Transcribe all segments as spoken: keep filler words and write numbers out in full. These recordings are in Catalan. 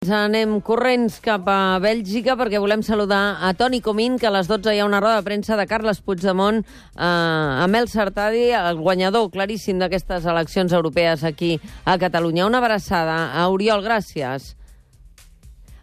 Ens anem corrents cap a Bèlgica perquè volem saludar a Toni Comín, que a les dotze hi ha una roda de premsa de Carles Puigdemont eh, amb el Sartadi, el guanyador claríssim d'aquestes eleccions europees aquí a Catalunya. Una abraçada a Oriol, gràcies.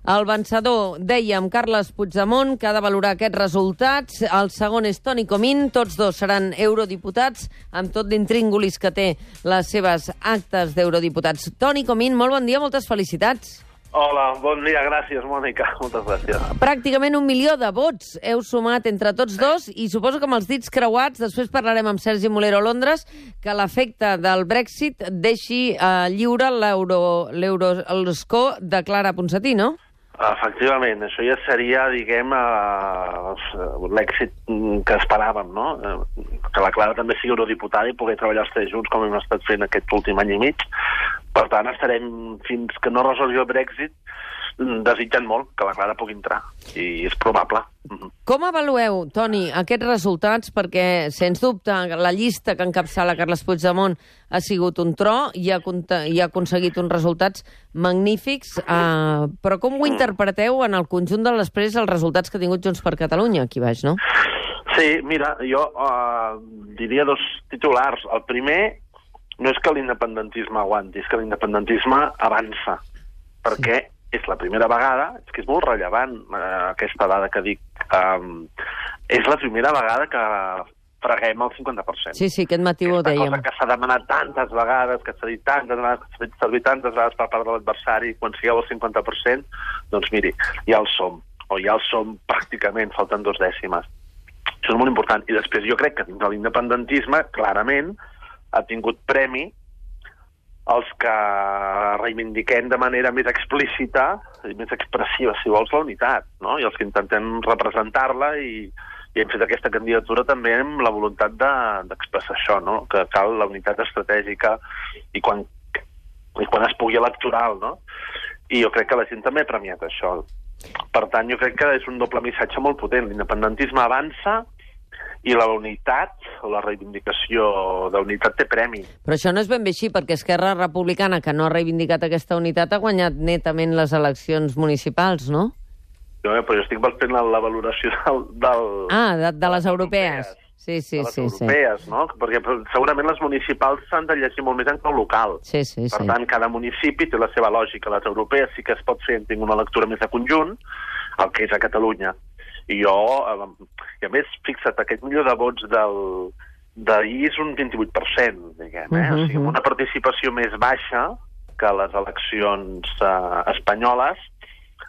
El vencedor, dèiem, Carles Puigdemont, que ha de valorar aquests resultats. El segon és Toni Comín. Tots dos seran eurodiputats, amb tot l'intríngulis que té les seves actes d'eurodiputats. Toni Comín, molt bon dia, moltes felicitats. Hola, bon dia, gràcies, Mònica. Moltes gràcies. Pràcticament un milió de vots heu sumat entre tots dos i suposo que amb els dits creuats, després parlarem amb Sergi Molero a Londres, que l'efecte del Brexit deixi eh, lliure l'euroscó de Clara Ponsatí, no? Efectivament, això ja seria, diguem, uh, l'èxit que esperàvem, no? Que la Clara també sigui eurodiputada i poder treballar els tres junts com hem estat fent aquest últim any i mig. Per tant, estarem fins que no resolgui el Brexit desitjant molt que la Clara pugui entrar, i és probable. Com avalueu, Toni, aquests resultats? Perquè, sens dubte, la llista que encapçala Carles Puigdemont ha sigut un tro i ha, i ha aconseguit uns resultats magnífics, eh, però com ho interpreteu en el conjunt de després els resultats que ha tingut Junts per Catalunya aquí baix, no? Sí, mira, jo eh, diria dos titulars. El primer no és que l'independentisme aguanti, és que l'independentisme avança, perquè sí. És la primera vegada, és que és molt rellevant eh, aquesta dada que dic, um, és la primera vegada que freguem el cinquanta per cent. Sí, sí, aquest matí ho dèiem. Cosa que s'ha demanat tantes vegades, que s'ha dit tantes vegades, que s'ha fet servir tantes vegades per part de l'adversari, quan sigueu el cinquanta per cent, doncs miri, ja el som, o ja el som pràcticament, falten dos dècimes. Això és molt important. I després jo crec que dins de l'independentisme, clarament, ha tingut premi els que reivindiquem de manera més explícita i més expressiva, si vols, la unitat, no? I els que intentem representar-la i, i hem fet aquesta candidatura també amb la voluntat d'expressar de, això, no? Que cal la unitat estratègica i quan, i quan es pugui electoral, no? I jo crec que la gent també ha premiat això. Per tant, jo crec que és un doble missatge molt potent. L'independentisme avança i la unitat, o la reivindicació d'unitat té premi. Però això no és ben bé així, perquè Esquerra Republicana, que no ha reivindicat aquesta unitat, ha guanyat netament les eleccions municipals, no? No, però jo estic fent la, la valoració del... del ah, de, de les europees. europees. Sí, sí, de les sí. europees, sí. no? Perquè segurament les municipals s'han de llegir molt més en clau local. Sí, sí, per sí. tant, cada municipi té la seva lògica. Les europees sí que es pot fer, tinc una lectura més de conjunt, el que és a Catalunya. I jo, i a més, fixa't, aquest milió de vots del d'ahir és un vint-i-vuit per cent, diguem, eh? Uh-huh. O sigui, una participació més baixa que les eleccions eh, espanyoles,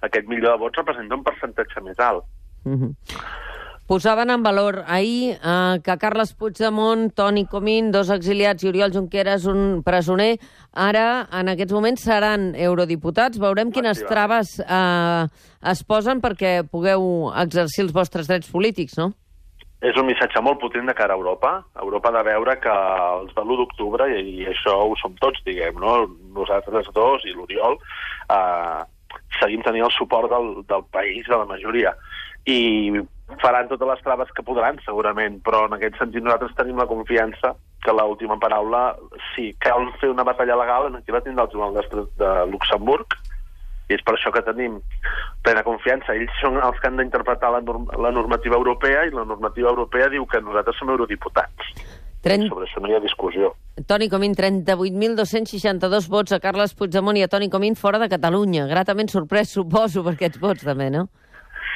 aquest milió de vots representa un percentatge més alt. Uh-huh. Posaven en valor ahir eh, que Carles Puigdemont, Toni Comín, dos exiliats i Oriol Junqueras, un presoner, ara, en aquests moments, seran eurodiputats. Veurem quines traves eh, es posen perquè pugueu exercir els vostres drets polítics, no? És un missatge molt potent de cara a Europa. Europa ha de veure que els de l'u d'octubre, i això ho som tots, diguem, no? Nosaltres dos i l'Oriol, eh, seguim tenint el suport del, del país, de la majoria. I faran totes les traves que podran, segurament, però en aquest sentit nosaltres tenim la confiança que l'última paraula, si cal fer una batalla legal, aquí la tindrà el Tribunal de Luxemburg, i és per això que tenim plena confiança. Ells són els que han d'interpretar la, norm la normativa europea, i la normativa europea diu que nosaltres som eurodiputats. trenta... Sobre això no hi ha discussió. Toni Comín, trenta-vuit mil dos-cents seixanta-dos vots a Carles Puigdemont i a Toni Comín fora de Catalunya. Gratament sorprès, suposo, per aquests vots també, no?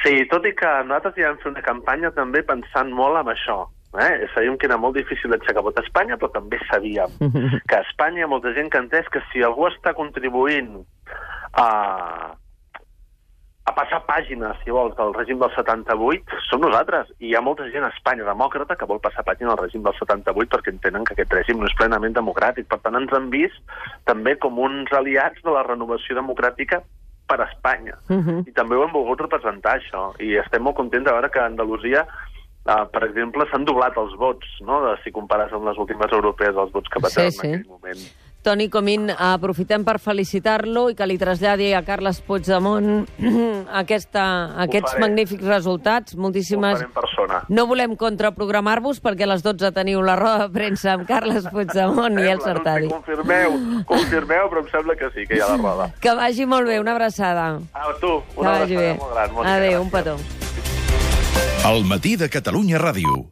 Sí, tot i que nosaltres ja vam fer una campanya també pensant molt en això. Eh? Sabíem que era molt difícil d'aixecar vot a Espanya, però també sabíem que a Espanya hi ha molta gent que ha entès que si algú està contribuint a, a passar pàgines, si vols, del règim del setanta-vuit, som nosaltres. I hi ha molta gent a Espanya demòcrata que vol passar pàgina al règim del setanta-vuit perquè entenen que aquest règim no és plenament democràtic. Per tant, ens han vist també com uns aliats de la renovació democràtica per a Espanya. Uh-huh. I també ho hem volgut representar, això. I estem molt contents de veure que a Andalusia, uh, per exemple, s'han doblat els vots, no? De, si compares amb les últimes europees, els vots que va tenir sí, sí. en aquell moment. Toni Comín, aprofitem per felicitar-lo i que li traslladi a Carles Puigdemont aquesta, aquests magnífics resultats. Moltíssimes persona. No volem contraprogramar-vos perquè a les dotze teniu la roda de premsa amb Carles Puigdemont i Elsa Artadi. No sé, confirmeu, confirmeu, però em sembla que sí, que hi ha la roda. Que vagi molt bé, una abraçada. A tu, una abraçada molt gran. Adéu, un petó. El matí de Catalunya Ràdio.